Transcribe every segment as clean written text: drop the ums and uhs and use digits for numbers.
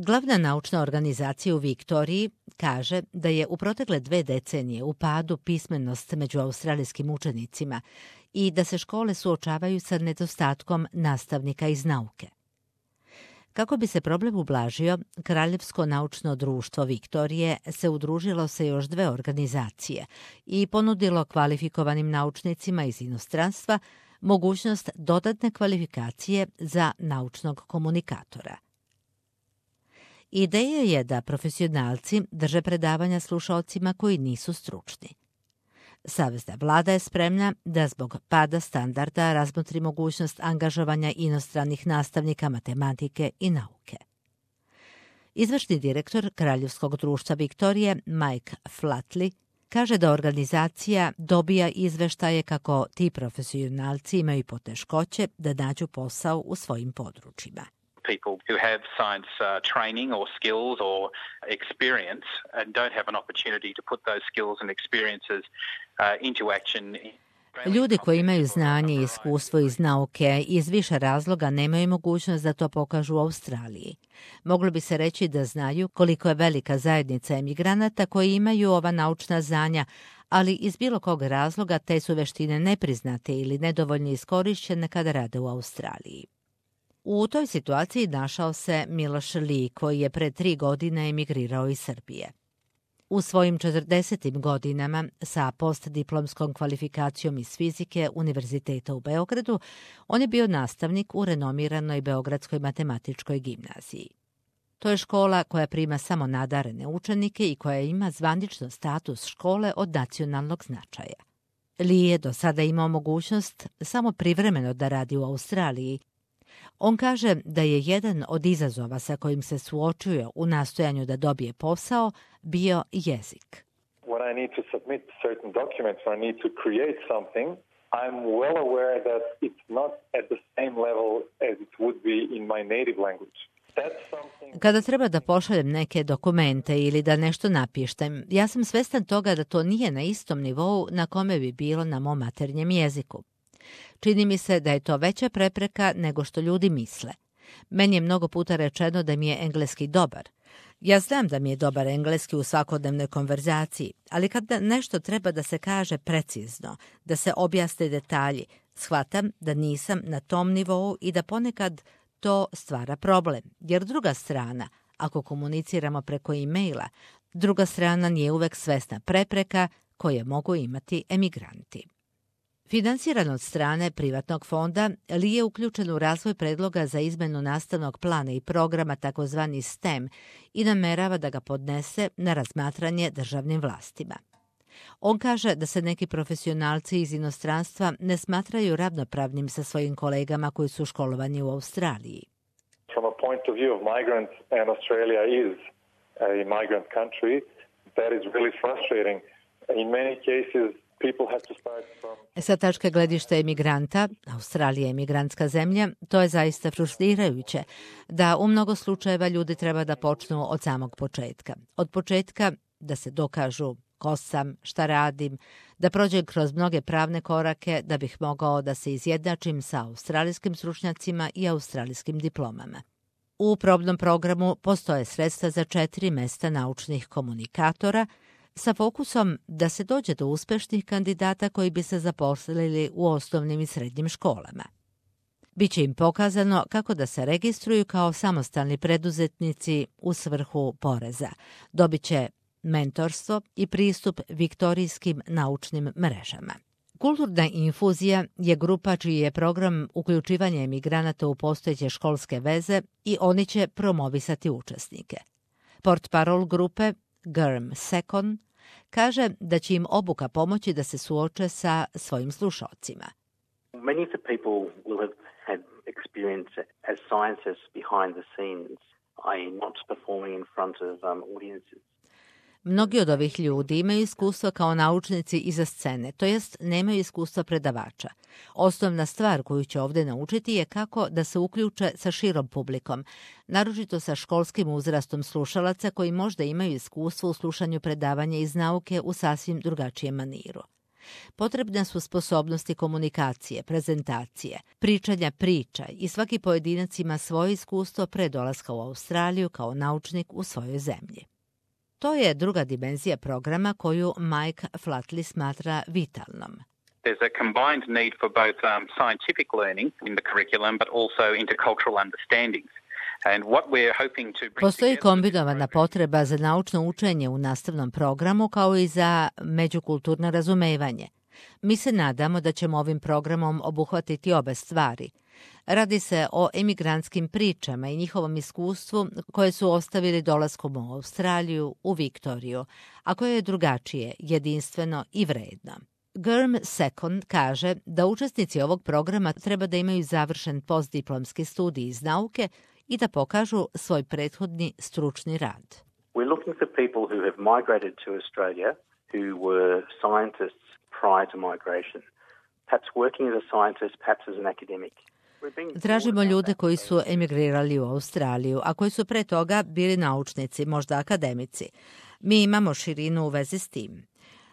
Glavna naučna organizacija u Viktoriji kaže da je u protekle 2 decenije u padu pismenost među australijskim učenicima i da se škole suočavaju sa nedostatkom nastavnika iz nauke. Kako bi se problem ublažio, Kraljevsko naučno društvo Viktorije se udružilo sa još 2 organizacije i ponudilo kvalifikovanim naučnicima iz inostranstva mogućnost dodatne kvalifikacije za naučnog komunikatora. Ideja je da profesionalci drže predavanja slušaocima koji nisu stručni. Savezna vlada je spremna da zbog pada standarda razmotri mogućnost angažovanja inostranih nastavnika matematike i nauke. Izvršni direktor Kraljevskog društva Viktorije, Mike Flatley, kaže da organizacija dobija izveštaje kako ti profesionalci imaju poteškoće da nađu posao u svojim područjima. People who have science training or skills or experience and don't have an opportunity to put those skills and experiences into action. Ljudi koji imaju znanje i iskustvo iz nauke iz više razloga nemaju mogućnost da to pokažu u Australiji. Moglo bi se reći da znaju koliko je velika zajednica emigranata koji imaju ova naučna znanja, ali iz bilo kog razloga te su veštine nepriznate ili nedovoljno iskorišćene kada rade u Australiji. U toj situaciji našao se Miloš Lee, koji je pre 3 godine emigrirao iz Srbije. U svojim 40. godinama sa postdiplomskom kvalifikacijom iz fizike Univerziteta u Beogradu, on je bio nastavnik u renomiranoj Beogradskoj matematičkoj gimnaziji. To je škola koja prima samo nadarene učenike i koja ima zvanično status škole od nacionalnog značaja. Lee je do sada imao mogućnost samo privremeno da radi u Australiji. On kaže da je jedan od izazova sa kojim se suočio u nastojanju da dobije posao bio jezik. When I need to submit certain documents or I need to create something, I'm well aware that it's not at the same level as it would be in my native language. Kada treba da pošaljem neke dokumente ili da nešto napištem, ja sam svestan toga da to nije na istom nivou na kome bi bilo na mom maternjem jeziku. Čini mi se da je to veća prepreka nego što ljudi misle. Meni je mnogo puta rečeno da mi je engleski dobar. Ja znam da mi je dobar engleski u svakodnevnoj konverzaciji, ali kad nešto treba da se kaže precizno, da se objasne detalji, shvatam da nisam na tom nivou i da ponekad to stvara problem, jer druga strana, ako komuniciramo preko e-maila, druga strana nije uvek svesna prepreka koje mogu imati emigranti. Finansiran od strane privatnog fonda, Lee je uključen u razvoj predloga za izmenu nastavnog plana i programa takozvani STEM i namerava da ga podnese na razmatranje državnim vlastima. On kaže da se neki profesionalci iz inostranstva ne smatraju ravnopravnim sa svojim kolegama koji su školovani u Australiji. From a point of view of migrants, and Australia is a migrant country, that is really frustrating. In many cases, sa tačke gledišta emigranta, Australija je emigrantska zemlja, to je zaista frustrirajuće, da u mnogo slučajeva ljudi treba da počnu od samog početka. Od početka da se dokažu ko sam, šta radim, da prođem kroz mnoge pravne korake da bih mogao da se izjednačim sa australijskim stručnjacima i australijskim diplomama. U probnom programu postoje sredstva za 4 mesta naučnih komunikatora, sa fokusom da se dođe do uspešnih kandidata koji bi se zaposlili u osnovnim i srednjim školama. Biće im pokazano kako da se registruju kao samostalni preduzetnici u svrhu poreza. Dobiće mentorstvo i pristup viktorijskim naučnim mrežama. Kulturna infuzija je grupa čiji je program uključivanja emigranata u postojeće školske veze i oni će promovisati učesnike. Portparol grupe Germ Secon kaže da će im obuka pomoći da se suoče sa svojim slušaocima. Many of the people will have had experience as scientists behind the scenes, i.e. not performing in front of audiences. Mnogi od ovih ljudi imaju iskustvo kao naučnici iza scene, to jest nemaju iskustva predavača. Osnovna stvar koju će ovdje naučiti je kako da se uključe sa širom publikom, naročito sa školskim uzrastom slušalaca koji možda imaju iskustvo u slušanju predavanja iz nauke u sasvim drugačijem maniru. Potrebne su sposobnosti komunikacije, prezentacije, pričanja priča i svaki pojedinac ima svoje iskustvo pre dolaska u Australiju kao naučnik u svojoj zemlji. To je druga dimenzija programa koju Mike Flatley smatra vitalnom. There's a combined need for both scientific learning in the curriculum, but also intercultural understandings. Postoji kombinovana potreba za naučno učenje u nastavnom programu kao i za međukulturno razumevanje. Mi se nadamo da ćemo ovim programom obuhvatiti obe stvari. Radi se o emigrantskim pričama i njihovom iskustvu koje su ostavili dolaskom u Australiju, u Viktoriju, a koje je drugačije, jedinstveno i vredno. Germ Second kaže da učesnici ovog programa treba da imaju završen postdiplomski studij iz nauke i da pokažu svoj prethodni stručni rad. We're looking for people who have migrated to Australia who were scientists prior to migration, perhaps working as a scientist, perhaps as an academic. Tražimo ljude koji su emigrirali u Australiju, a koji su pre toga bili naučnici, možda akademici. Mi imamo širinu u vezi s tim.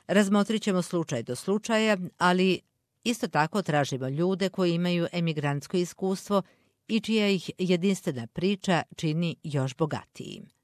Razmotrit ćemo slučaj do slučaja, ali isto tako tražimo ljude koji imaju emigrantsko iskustvo i čija ih jedinstvena priča čini još bogatijim.